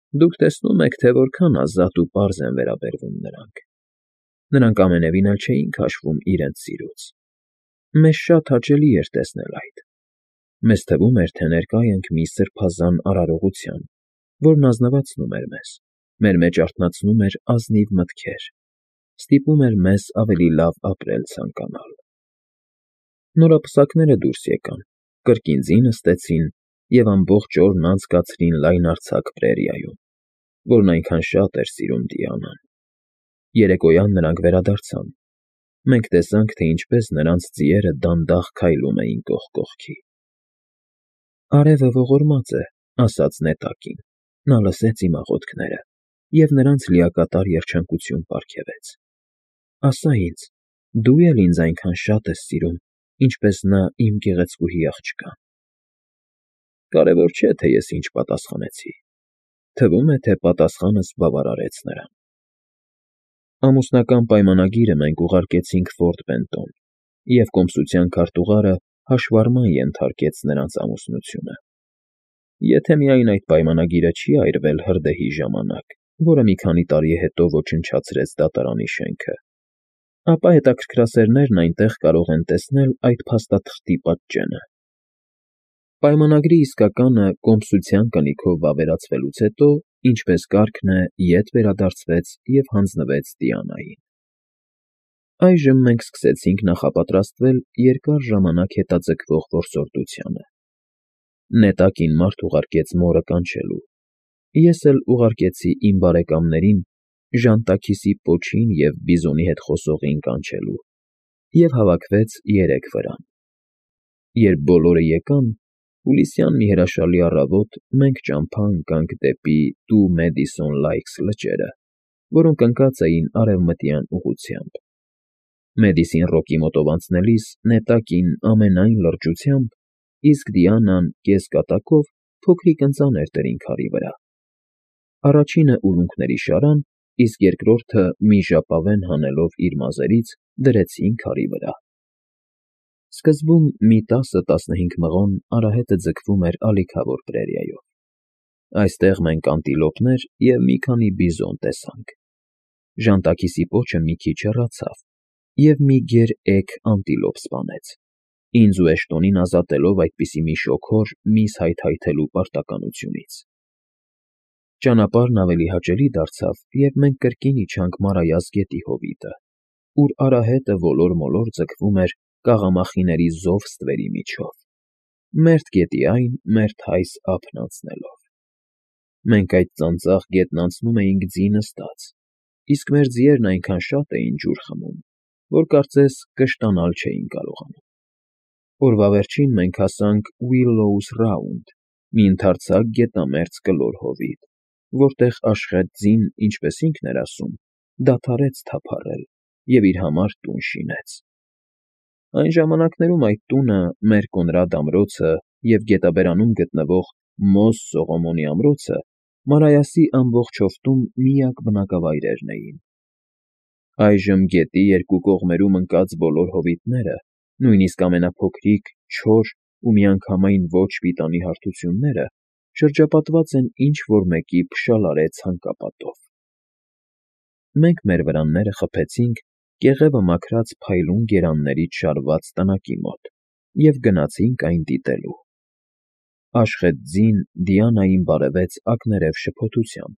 Դուք տեսնում եք, թե որքան ազատ ու պարզ են վերաբերվում նրանք. նրանք ամենևին էլ չէին քաշվում իրենց սիրուց։ Մեզ շատ հաճելի էր տեսնել այդ։ Մեզ թվում էր, թե ներկա ենք մի սրբազան արարողության, որն ազնվացնում էր մեզ, մեր մեջ արթնացնում էր ազնիվ մտքեր, ստիպում էր մեզ ավելի լավ ապրել ցանկանալ։ Նորապսակները դուրս եկան, կրկին ձի նստեցին և ամբողջ օրն անցկացրին լայնարձակ պրերիայում, որն այնքան շատ էր սիրում Դիանան։ Երեկոյան նրանք վերադարձան։ Մենք տեսանք, թե ինչպես նրանց ձիերը դանդաղ քայլում էին կողք կողքի։ «Արևը ողորմած է», ասաց Նետակին։ Նա լսեց իմ աղոթքները և նրանց լիակատար երջանկություն պարգևեց։ «Ասա ինձ, դու էլ ինձ այնքան շատ ես սիրում, ինչպես նա իմ գեղեցկուհի աղջկան»։ Կարևոր չէ, թե ես ինչ պատասխանեցի։ Թվում է, թե պատասխանս բավարարեց նրան։ Ամուսնական պայմանագիրը մենք ուղարկեցինք Ֆորտ Բենտոն, և կոմսության քարտուղարը հաշվառման ենթարկեց նրանց ամուսնությունը։ Եթե միայն այդ պայմանագիրը չի այրվել հրդեհի ժամանակ, որը մի քանի տարի հետո ոչնչացրեց դատարանի շենքը, ապա հետաքրքրասերներն այնտեղ կարող են տեսնել այդ փաստաթղթի պատճենը։ Պայմանագրի իսկականը կոմսության կնիքով վավերացվելուց հետո, ինչպես կարգն է, ետ վերադարձվեց և հանձնվեց Դիանային։ Այժմ մենք սկսեցինք նախապատրաստվել երկար ժամանակ հետաձգվող որսորդությանը։ Նետակին մարդ ուղարկեց մորը կանչելու։ Ես էլ ուղարկեցի իմ բարեկամներին Ժանտաքիսի պոչին և Բիզոնի հետ խոսողին կանչելու, և հավաքվեց երեք վրան։ Երբ բոլորը եկան, հուլիսյան մի հրաշալի առավոտ մենք ճամփա ընկանք դեպի Դու Մեդիսոն Լայքս լճերը, որոնք ընկած էին արևմտյան ուղղությամբ։ Մեդիսին Ռոկի մոտով անցնելիս Նետակին ամենայն լրջությամբ, իսկ Դիանան կեսկատակով փոքրիկ ընծաներ դրին քարի վրա։ Առաջինը ուլունքների շարան, իսկ երկրորդը մի ժապավեն հանելով իր մազերից դրեցին քարի վրա։ Սկզբում մի 10-15 մղոն արահետը ձգվում էր ալիքավոր պրերիայով։ Այստեղ մենք անտիլոպներ և մի քանի բիզոն տեսանք։ Ժանտաքիսի պոչը մի քիչ հեռացավ և մի գերեգ անտիլոպ սպանեց, ինձ ու Էշտոնին ազատելով այդպիսի մի շոգոր միս հայթայթելու պարտականությունից։ Ճանապարհն ավելի հաճելի դարձավ, երբ մենք կրկին իջանք Մարայას գետի հովիտը, ուր արահետը ոլոր֊մոլոր ձգվում էր կաղամախիների զով ստվերի միջով, մերթ գետի այն, մերթ այս ափն անցնելով։ Մենք այդ ծանծաղ գետն անցնում էինք ձի նստած, իսկ մեր ձիերն այնքան շատ էին ջուր խմում, որ կարծես կշտանալ չէին կարողանում։ Օրվա վերջին մենք հասանք Ուիլլոուս Ռաունդ, մի ընդարձակ գետամերձ կլոր հովիտ, որտեղ Աշխեթ ձին, ինչպես ինքն էր ասում, դադարեց թափառել և իր համար տուն շինեց։ Այն ժամանակներում այդ տունը, մեր Կոնրադ ամրոցը և գետաբերանում գտնվող Մոզ Սողոմոնի ամրոցը Մարայասի ամբողջ հովտում միակ բնակավայրերն էին։ Այժմ գետի երկու կողմերում ընկած բոլոր հովիտները, նույնիսկ ամենափոքրիկ, չոր ու միանգամայն ոչ պիտանի հարթությունները շրջապատված են ինչ֊որ մեկի փշալարե ցանկապատով։ Մենք մեր վրանները խփեցինք կեղևը մաքրած փայլուն գերաններից շարված տնակի մոտ և գնացինք այն դիտելու։ Աշխեթ ձին Դիանային բարևեց ակներև շփոթությամբ։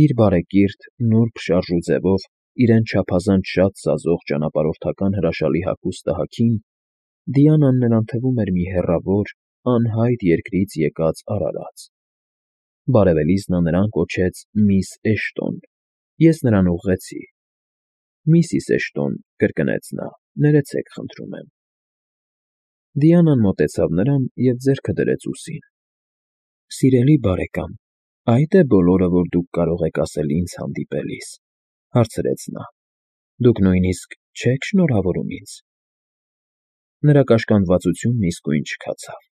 Իր բարեկիրթ, նուրբ շարժու ձևով իրեն չափազանց շատ սազող ճանապարհորդական հրաշալի հագուստը հագին, Դիանան նրան թվում էր մի հեռավոր, անհայտ երկրից եկած արարած։ Բարևելիս նա նրան կոչեց միս Էշտոն, ես նրան ուղղեցի։ Միսիս Էշտոն, կրկնեց նա, ներեցեք խնդրում եմ։ Դիանան մոտեցավ նրան և ձեռքը դրեց ուսին։ Սիրելի բարեկամ, ա՞յդ է բոլորը, որ դուք կարող եք ասել ինձ հանդիպելիս, հարցրեց նա։ Դուք նույնիսկ չե՞ք շնորհավորում ինձ։ Նրա կաշկանդվածությունն իսկույն չքացավ։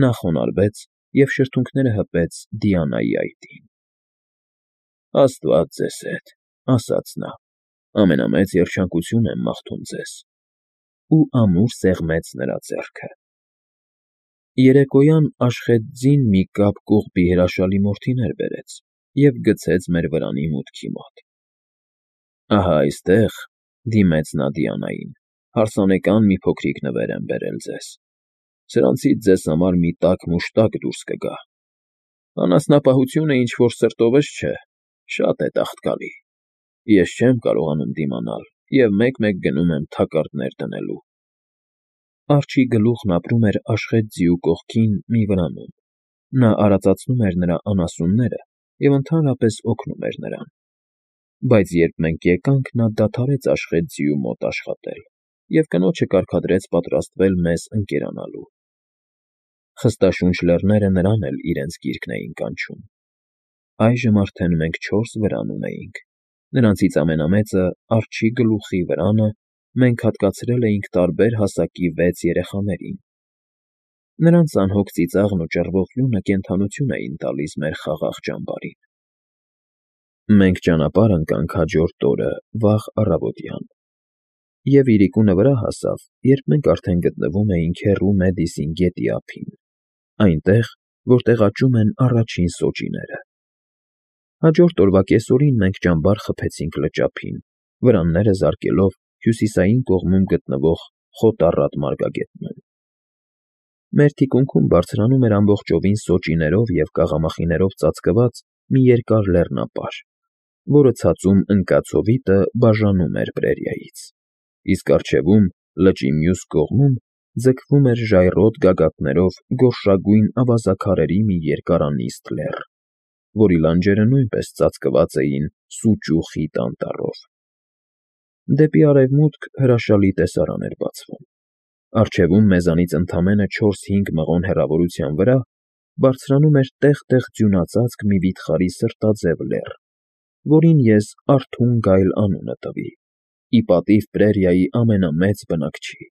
Նա խոնարհվեց և շրթունքները հպեց Դիանայի այտին։ Աստված ձեզ հետ, ասաց նա, ամենամեծ երջանկություն եմ մաղթում ձեզ, ու ամուր սեղմեց նրա ձեռքը։ Երեկոյան Աշխեթ ձին մի կապ կողբի հրաշալի մորթիներ բերեց, և գցեց մեր վրանի մուտքի մոտ։ Ահա այստեղ, դիմեց նա Դիանային, հարսանեկան մի փոքրիկ նվեր եմ բերել ձեզ. սրանցից ձեզ համար մի տաք մուշտակ դուրս կգա։ Անասնապահությունը ինչ-որ սրտովս չէ, շատ է տաղտկալի։ Ես չեմ կարողանում դիմանալ և մեկ-մեկ գնում եմ թակարդներ դնելու։ Արջի գլուխն ապրում էր Աշխետ ձիու կողքին մի վրանում։ Նա արածացնում էր նրա անասունները և ընդհանրապես օգնում էր նրան։ Բայց երբ մենք եկանք, նա դադարեց Աշխետ ձիու մոտ աշխատել և կնոջը կարգադրեց պատրաստվել մեզ ընկերանալու։ Խստաշունչ լեռները նրան էլ իրենց գիրկն էին կանչում։ Այժմ արդեն մենք 4 վրան ունեինք։ Նրանցից ամենամեծը՝ Արջի գլուխի վրանը, մենք հատկացրել էինք տարբեր հասակի 6 երեխաներին։ Նրանց անհոգ ծիծաղն ու ճռվող լյունը կենդանություն էին տալիս մեր խաղաղ ճամբարին։ Մենք ճանապարհ ընկանք հաջորդ օրը վաղ առավոտյան, և իրիկունը վրա հասավ, երբ մենք արդեն գտնվում էինք հեռու Մեդիսին գետի ափին, այնտեղ, որտեղ աճում են առաջին սոճիները։ Հաջորդ օրվա կեսօրին մենք ճամբար խփեցինք լճափին, վրանները զարկելով հյուսիսային կողմում գտնվող խոտառատ մարգագետնում։ Մեր թիկունքում բարձրանում էր ամբողջովին սոճիներով և կաղամախիներով ծածկված մի երկար լեռնապար, որը ցածում ընկած հովիտը բաժանում էր պրերիայից, իսկ առջևում, լճի մյուս կողմում, ձգվում էր ժայռոտ գագաթներով գորշագույն ավազաքարերի մի երկարանիստ լեռ, որի լանջերը նույնպես ծածկված էին սուճ ու խիտ անտառով։ Դեպի արևմուտք հրաշալի տեսարան էր բացվում։ Առջևում մեզանից ընդամենը 4-5 մղոն հեռավորության վրա բարձրանում էր տեղ֊տեղ ձյունածածկ մի վիթխարի սրտաձև լեռ, որին ես Արթուն Գայլ անունը տվի, ի պատիվ պրերիայի ամենամեծ բնակչի՝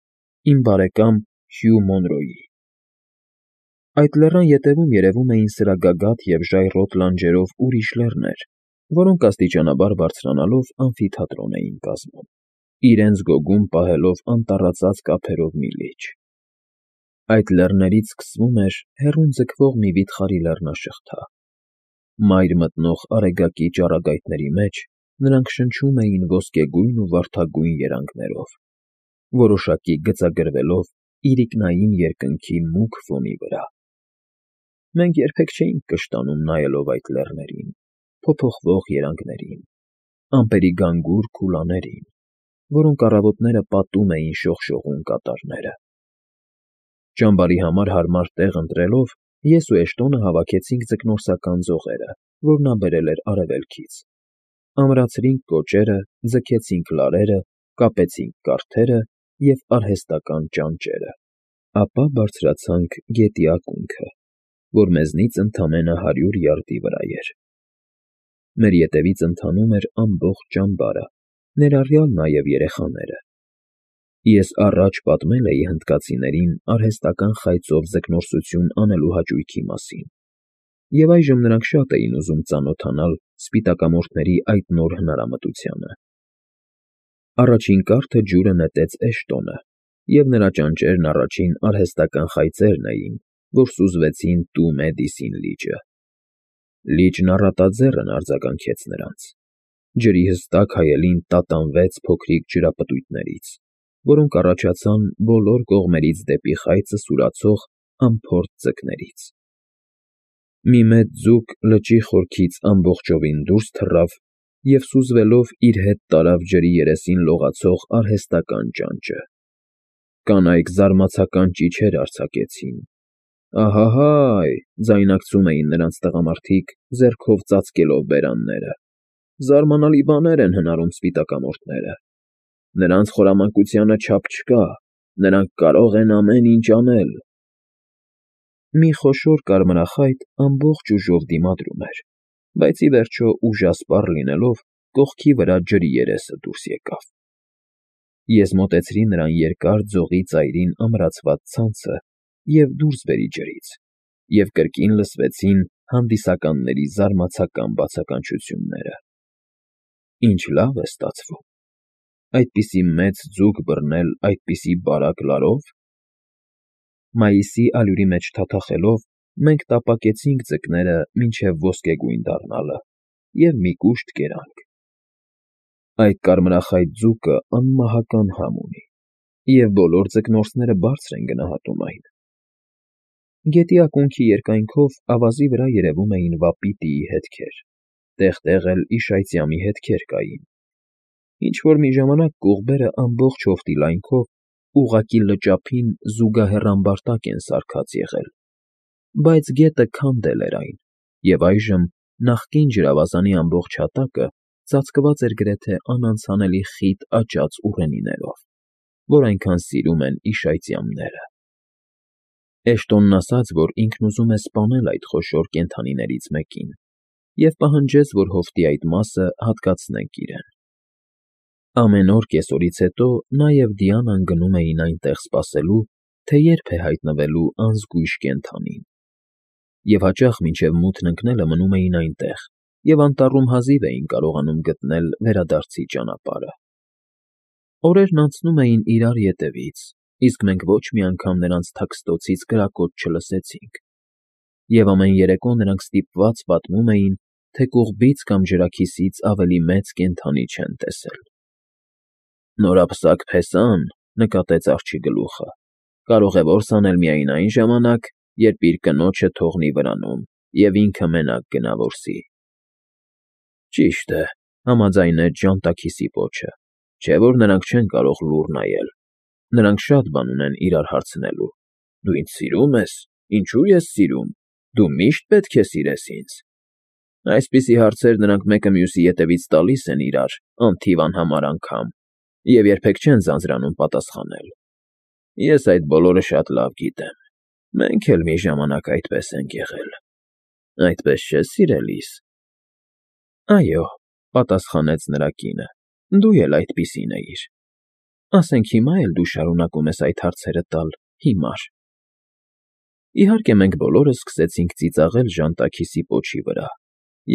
իմ բարեկամ Հյու Մոնրոյի։ Այդ լեռան ետևում երևում էին սրագագաթ և ժայռոտ լանջերով ուրիշ լեռներ, որոնք աստիճանաբար բարձրանալով ամֆիթատրոն էին կազմում, իրենց գոգում պահելով անտառածածկ ափերով մի լիճ։ Այդ լեռներից սկսվում էր հեռուն ձգվող մի վիթխարի լեռնաշղթա։ Մայր մտնող արեգակի ճառագայթների մեջ նրանք շնչում էին ոսկեգույն ու վարդագույն երանգներով, որոշակի գծագրվելով իրիկնային երկնքի մուգ ֆոնի վրա։ Մենք երբեք չէինք կշտանում նայելով այդ լեռներին, փոփոխվող երանգներին, ամպերի գանգուր քուլաներին, որոնք առավոտները պատում էին շողշողուն կատարները։ Ճամբարի համար հարմար տեղ ընտրելով, ես ու Էշտոնը հավաքեցինք ձկնորսական ձողերը, որ նա բերել էր արևելքից, ամրացրինք կոճերը, ձգեցինք լարերը, կապեցինք կարթերը և արհեստական ճանճերը, ապա բարձրացանք գետի ակունքը, որ մեզնից ընդամենը 100 յարդի վրա էր։ Մեր ետևից ընթանում էր ամբողջ ճամբարը, ներառյալ նաև երեխաները։ Ես առաջ պատմել էի հնդկացիներին արհեստական խայծով ձկնորսություն անելու հաճույքի մասին, և այժմ նրանք շատ էին ուզում ծանոթանալ սպիտակամորթների այդ նոր հնարամտությանը։ Առաջին կարթը ջուրը նետեց Էշտոնը, և նրա ճանճերն առաջին արհեստական խայծերն էին, որ սուզվեցին Տու Մեդիսին լիճը։ Լիճն առատաձեռն արձագանքեց նրանց։ Ջրի հստակ հայելին տատանվեց փոքրիկ ջրապտույտներից, որոնք առաջացան բոլոր կողմերից դեպի խայծը սուրացող անփորձ ձկներից։ Մի մեծ ձուկ լճի խորքից ամբողջովին դուրս թռավ և սուզվելով իր հետ տարավ ջրի երեսին լողացող արհեստական ճանճը։ Կանայք զարմացական ճիչեր արձակեցին։ «Ահա՜հայ», ձայնարկում էին նրանց տղամարդիկ, ձեռքով ծածկելով բերանները, «զարմանալի բաներ են հնարում սպիտակամորթները։ Նրանց խորամանկությանը չափ չկա, նրանք կարող են ամեն ինչ անել»։ Մի խոշոր կարմրախայտ ամբողջ ուժով դիմադրում էր, բայց ի վերջո ուժասպառ լինելով, կողքի վրա ջրի երեսը դուրս եկավ։ Ես մոտեցրի նրան երկար ձողի ծայրին ամրացված ցանցը և դուրս բերի ջրից, և կրկին լսվեցին հանդիսականների զարմացական բացականչությունները։ Ինչ լավ է ստացվում։ Այդպիսի մեծ ձուկ բռնել այդպիսի բարակ լարով։ Մայիսի allուրի մեջ թաթախելով՝ մենք տապակեցինք ձկները մինչև ոսկեգույն դառնալը և մի կուշտ կերանք։ Այդ կարմրախայտ ձուկը անմահական համ ունի, և բոլոր ձկնորսները բարձր են գնահատում այն։ Գետի ակունքի երկայնքով ավազի վրա երևում էին վապի տիի հետքեր, տեղ֊տեղ էլ իշայծյամի հետքեր կային։ Ինչ-որ մի ժամանակ կողբերը ամբողջ հովտի լայնքով ուղղակի լճափին զուգահեռ ամբարտակ են սարքած եղել, բայց գետը քանդել էր այն, և այժմ նախկին ջրավազանի ամբողջ հատակը ծածկված էր գրեթե անանցանելի խիտ աճած ուռենիներով, որ այնքան սիրում են իշայծյամները։ Էշտոնն ասաց, որ ինքն ուզում է սպանել այդ խոշոր կենդանիներից մեկին, և պահանջեց, որ հովտի այդ մասը հատկացնենք իրեն։ Ամեն օր կեսօրից հետո նա և Դիանան գնում էին այնտեղ սպասելու, թե երբ է հայտնվելու անզգույշ կենդանին, և հաճախ մինչև մութն ընկնելը մնում էին այնտեղ և անտառում հազիվ էին կարողանում գտնել վերադարձի ճանապարհը։ Օրերն անցնում էին իրար ետևից, իսկ մենք ոչ մի անգամ նրանց թաքստոցից կրակոտ չլսեցինք, և ամեն երեկո նրանք ստիպված պատմում էին, թե կողբից կամ ջրաքիսից ավելի մեծ կենդանի չեն տեսել։ «Նորապսակ փեսան,֊ նկատեց աղջիկը, կարող է որս անել միայն այն ժամանակ, երբ իր կնոջը թողնի վրանում և ինքը մենակ գնա որսի»։ Ճիշտ է,֊ համաձայնեց ժանտաքիսի պոչը,֊ չէ՞ որ նրանք չեն կարող լուռ նայել։ Նրանք շատ բան ունեն իրար հարցնելու։ Դու ինձ սիրո՞ւմ ես, ինչո՞ւ ես սիրում, դու միշտ պետք է սիրես ինձ։ Այսպիսի հարցեր նրանք մեկը մյուսի ետևից տալիս են իրար անթիվ անհամար անգամ և երբեք չեն ձանձրանում պատասխանել։ Ես այդ բոլորը շատ լավ գիտեմ։ Մենք էլ մի ժամանակ այդպես ենք եղել։ Այդպես չէ՞, սիրելիս։ Այո,֊ պատասխանեց նրա կինը,֊ դու էլ այդպիսին էիր։ Ասենք հիմա էլ դու շարունակում ես այդ հարցերը տալ հիմար։ Իհարկե, մենք բոլորս սկսեցինք ծիծաղել ժանտաքիսի պոչի վրա,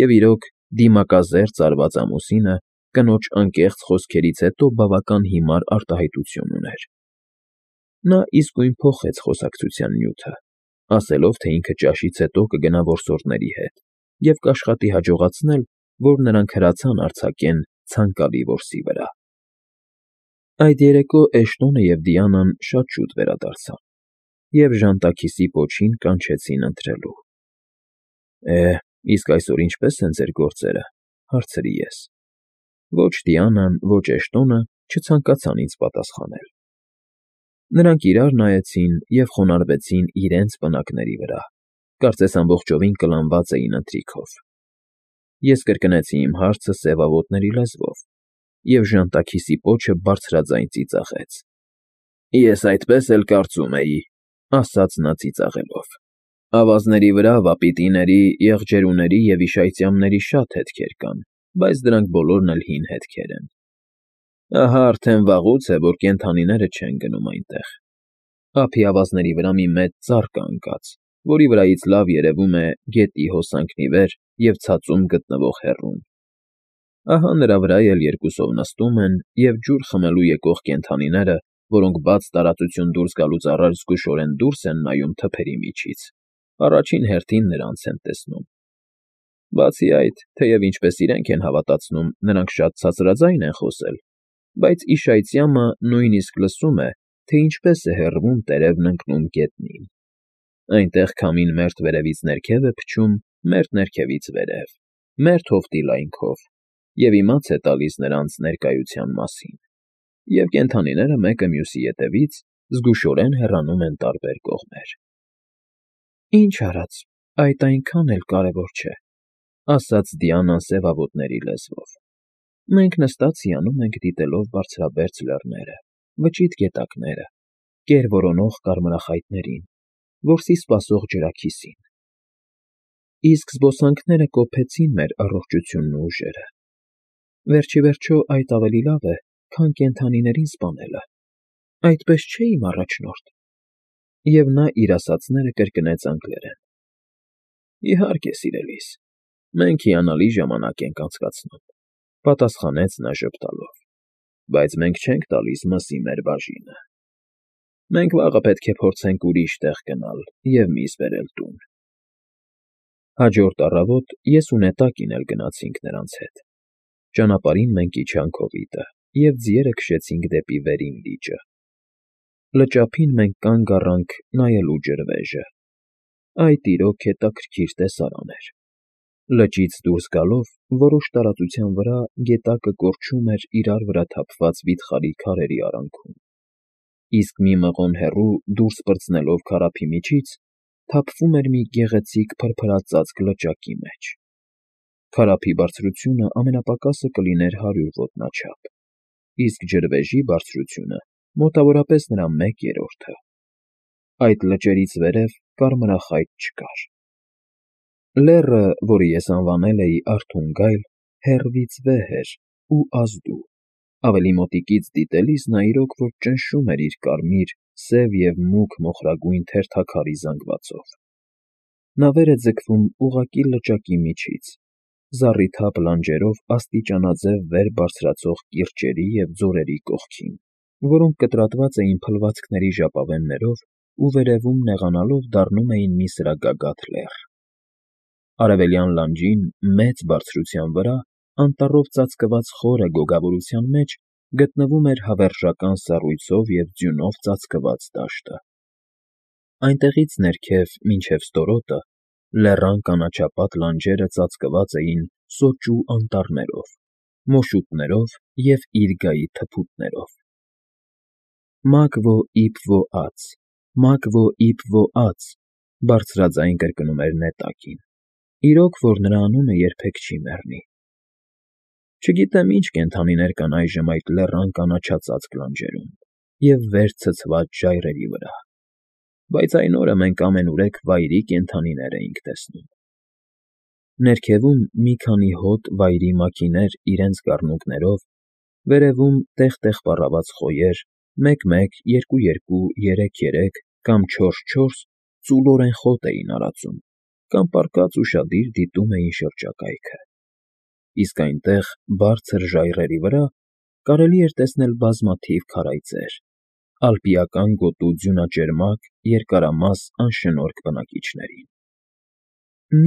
և իրոք, դիմակազերծ արված ամուսինը կնոջ անկեղծ խոսքերից հետո բավական հիմար արտահայտություն ուներ։ Նա իսկույն փոխեց խոսակցության նյութը, ասելով, թե ինքը ճաշից հետո կգնա որսորդների հետ և կաշխատի հաջողացնել, որ նրանք հրացան արձակեն ցանկալի որսի վրա։ Այդ երեկո Էշտոնը և Դիանան շատ շուտ վերադարձան, և ժանտաքիսի պոչին կանչեցին ընթրելու։ Իսկ այսօր ինչպե՞ս են ձեր գործերը,֊ հարցրի ես։ Ոչ Դիանան, ոչ Էշտոնը չցանկացան ինձ պատասխանել։ Նրանք իրար նայեցին և խոնարհվեցին իրենց պնակների վրա, կարծես ամբողջովին կլանված էին ընթրիքով։ Ես կրկնեցի իմ հարցը սևավոտների լեզվով, և ժանտաքիսի պոչը բարձրաձայն ծիծաղեց։ Ես այդպես էլ կարծում էի,֊ ասաց նա ծիծաղելով։ Ավազների վրա վապիտիների, եղջերուների և իշայծյամների շատ հետքեր կան, բայց դրանք բոլորն էլ հին հետքեր են։ Ահա արդեն վաղուց է, որ կենդանիները չեն գնում այնտեղ։ Ափի ավազների վրա մի մեծ ծառ կա ընկած, որի վրայից լավ երևում է գետի հոսանքն ի վեր և ցածում գտնվող հեռուն։ Ահա նրա վրա էլ երկուսով նստում են և ջուր խմելու եկող կենդանիները, որոնք բաց տարածություն դուրս գալուց առաջ զգուշորեն դուրս են նայում թփերի միջից, առաջին հերթին նրանց են տեսնում։ Բացի այդ, թեև ինչպես իրենք են հավատացնում, նրանք շատ ցածրաձայն են խոսել, բայց իշայծյամը նույնիսկ լսում է, թե ինչպես է հեռվում տերևն ընկնում գետնին։ Այնտեղ քամին մերթ վերևից ներքև է փչում, մերթ ներքևից վերև, մերթ հովտի լայնքով, և իմաց է տալիս նրանց ներկայության մասին, և կենդանիները մեկը մյուսի ետևից զգուշորեն հեռանում են տարբեր կողմեր։ Ինչ արած, այդ այնքան էլ կարևոր չէ,֊ ասաց Դիանան սևավոտների լեզվով։ Մենք նստած հիանում ենք դիտելով բարձրաբերձ լեռները, վճիտ գետակները, կեր որոնող կարմրախայտներին, որսի սպասող ջրաքիսին։ Իսկ զբոսանքները կոփեցին մեր առողջությունն ու ուժերը։ Վերջիվերջո այդ ավելի լավ է, քան կենդանիներին սպանելը, այդպես չէ՞ իմ առաջնորդ։ Եվ նա իր ասածները կրկնեց անգլերեն։ Իհարկե, սիրելիս, մենք հիանալի ժամանակ ենք անցկացնում,֊ պատասխանեց նա ժպտալով, բայց մենք չենք տալիս մսի մեր բաժինը։ Մենք վաղը պետք է փորձենք ուրիշ տեղ գնալ և միս բերել տուն։ Հաջորդ առավոտ ես ու Նետակին էլ գնացինք նրանց հետ։ Ճանապարհին մենք իջանք հովիտը և ձիերը քշեցինք դեպի վերին լիճը։ Լճափին մենք կանգ առանք նայելու ջրվեժը։ Այդ իրոք հետաքրքիր տեսարան էր։ Լճից դուրս գալով որոշ տարածության վրա գետակը կորչում էր իրար վրա թափված վիթխարի քարերի արանքում, իսկ մի մղոն հեռու դուրս պրծնելով քարափի միջից թափվում էր մի գեղեցիկ փրփրածածկ լճակի մեջ։ Քարափի բարձրությունը ամենապակասը կլիներ 100 ոտնաչափ, իսկ ջրվեժի բարձրությունը մոտավորապես նրա 1/3-ը։ Այդ լճերից վերև կարմրախայտ չկար։ Լեռը, որը ես անվանել էի Արթունգայլ, հեռվից վեհ էր ու ազդու, ավելի մոտիկից դիտելիս նա իրոք որ ճնշում էր իր կարմիր, սև և մուգ մոխրագույն թերթաքարի զանգվածով։ Նա վեր է ձգվում ուղղակի լճակի միջից, զառիթափ լանջերով աստիճանաձև վեր բարձրացող կիրճերի և ձորերի կողքին, որոնք կտրատված էին փլվածքների ժապավեններով ու վերևում նեղանալով դառնում էին մի սրագագաթ լեռ։ Արևելյան լանջին, մեծ բարձրության վրա, անտառով ծածկված խորը գոգավորության մեջ գտնվում էր հավերժական սառույցով և ձյունով ծածկված դաշտը։ Այնտեղից ներքև մինչև ստորոտը լեռան կանաչապատ լանջերը ծածկված էին սոճու անտառներով, մոշուտներով և իրգայի թփուտներով։ «Մագվո իբվո ած, մագվո իբվո ած», բարձրաձայն կրկնում էր Նետակին, իրոք որ նրա անունը երբեք չի մեռնի։ Չգիտեմ ինչ կենդանիներ կան այժմ այդ լեռան կանաչածածկ լանջերում և վեր ցցված ժայռերի վրա, բայց այն օրը մենք ամենուրեք վայրի կենդանիներ էինք տեսնում։ Ներքևում մի քանի հոտ վայրի մաքիներ իրենց կառնուկներով, վերևում տեղ֊տեղ պառավված խոյեր, 1-1, 2-2, 3-3 կամ 4-4 ծուլորեն խոտ էին արածում կամ պառկած ուշադիր դիտում էին շրջակայքը։ Իսկ այնտեղ, բարձր ժայռերի վրա, կարելի էր տեսնել բազմաթիվ քարայծեր, ալպիական գոտու ձյունաճերմակ, երկարամաս, անշնորհք բնակիչներին։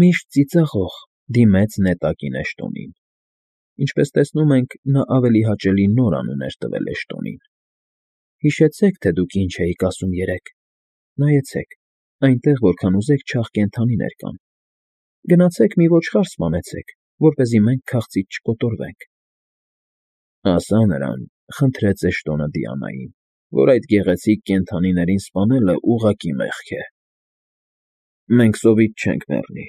«Միշտ ծիծաղող», դիմեց Նետակին Էշտոնին։ Ինչպես տեսնում ենք, նա ավելի հաճելի նոր անուն էր տվել Էշտոնին։ «Հիշեցեք, թե դուք ինչ էիք ասում երեկ։ Նայեցեք, այնտեղ որքան ուզեք չաղ կենդանիներ կան։ Գնացեք մի ոչխար սպանեցեք, որպեսզի մենք քաղցից չկոտորվենք»։ «Ասա նրան», խնդրեց Էշտոնը Դիանային, «որ այդ գեղեցիկ կենդանիներին սպանելը ուղղակի մեղք է։ Մենք սովից չենք մեռնի,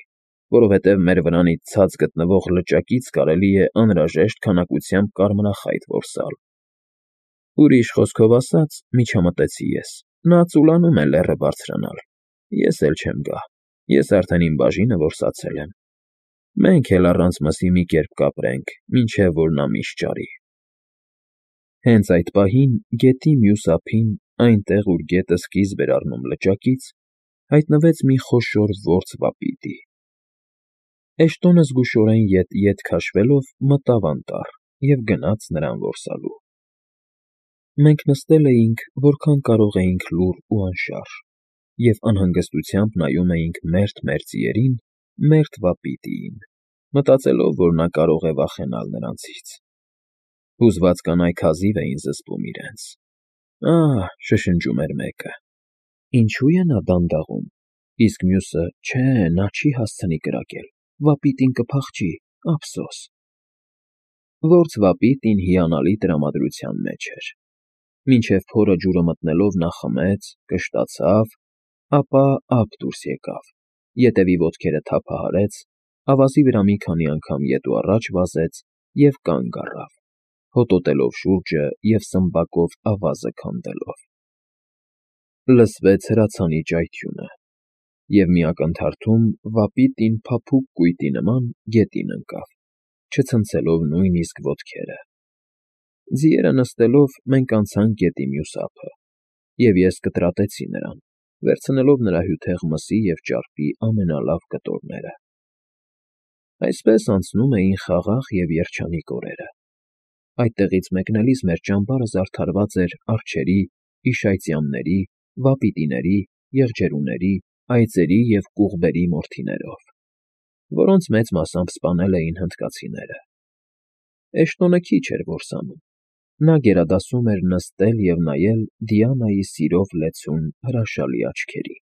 որովհետև մեր վրանից ցած գտնվող լճակից կարելի է անհրաժեշտ քանակությամբ կարմրախայտ որսալ»։ Ուրիշ խոսքով ասած, միջամտեցի ես, նա ծուլանում է լեռը բարձրանալ, ես էլ չեմ գա, ես արդեն իմ բաժինը որսացել եմ։ Մենք էլ առանց մսի մի կերպ կապրենք, մինչև որ նա միշ ճարի։ Հենց այդ պահին գետի մյուս ափին, այնտեղ, ուր գետը սկիզբ էր առնում լճակից, հայտնվեց մի խոշոր որց վապիտի։ Էշտոնը զգուշորեն ետ քաշվելով մտավ անտառ և գնաց նրան որսալու։ Մենք նստել էինք, որքան կարող էինք լուռ ու անշարժ, և անհանգստությամբ նայում էինք մերթ մեր ձիերին, մերթ վապիտիին, մտածելով, որ նա կարող է վախենալ նրանցից։ Հուզված կանայք հազիվ էին զսպում իրենց։ «Ահ», շշնջում էր մեկը, «ինչու է նա դանդաղում, իսկ մյուսը՝ չէ, նա չի հասցնի կրակել, վապիտին կփախչի, ափսոս»։ Որց վապիտին հիանալի տրամադրության մեջ էր։ Մինչև փորը ջուրը մտնելով նա խմեց, կշտացավ, ապա ափ դուրս եկավ, ետևի ոտքերը թափահարեց, ավազի վրա մի քանի անգամ ետ ու առաջ վազեց և կանգ առավ, հոտոտելով շուրջը և սմբակով ավազը քանդելով։ Լսվեց հրացանի ճայթյունը, և մի ակնթարթում վապիտին փափուկ կույտի նման գետին ընկավ, չցնցելով նույնիսկ ոտքերը։ Ձիերը նստելով՝ մենք անցանք գետի մյուս ափը, և ես կտրատեցի նրան, վերցնելով նրա հյութեղ մսի և ճարպի ամենալավ կտորները։ Այսպես անցնում էին խաղաղ և երջանիկ օրերը։ Այդտեղից մեկնելիս մեր ճամբարը զարդարված էր արջերի, իշայծյամների, վապիտիների, եղջերուների, այծերի և կուղբերի մորթիներով։ որոնց մեծ մասամբ սպանել էին հնդկացիները։ Էշտոնը քիչ էր որսանում. նա գերադասում էր նստել և նայել Դիանայի սիրով լեցուն հրաշալի աչքերին։